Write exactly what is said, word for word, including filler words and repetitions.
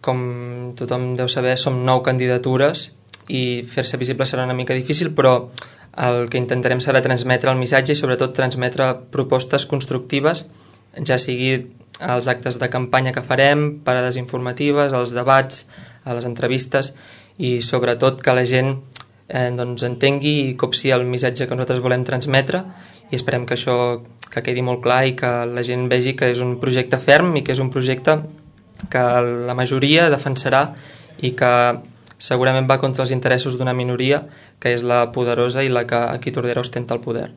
Com tothom deu saber, som nou candidatures i fer-se visible serà una mica difícil, però el que intentarem serà transmetre el missatge i sobretot transmetre propostes constructives, ja sigui als actes de campanya que farem, parades informatives, als debats, a les entrevistes, i sobretot que la gent eh, doncs entengui i copsi el missatge que nosaltres volem transmetre, i esperem que això que quedi molt clar i que la gent vegi que és un projecte ferm i que és un projecte que la majoria defensarà i que segurament va contra els interessos d'una minoria, que és la poderosa i la que aquí Tordera ostenta el poder.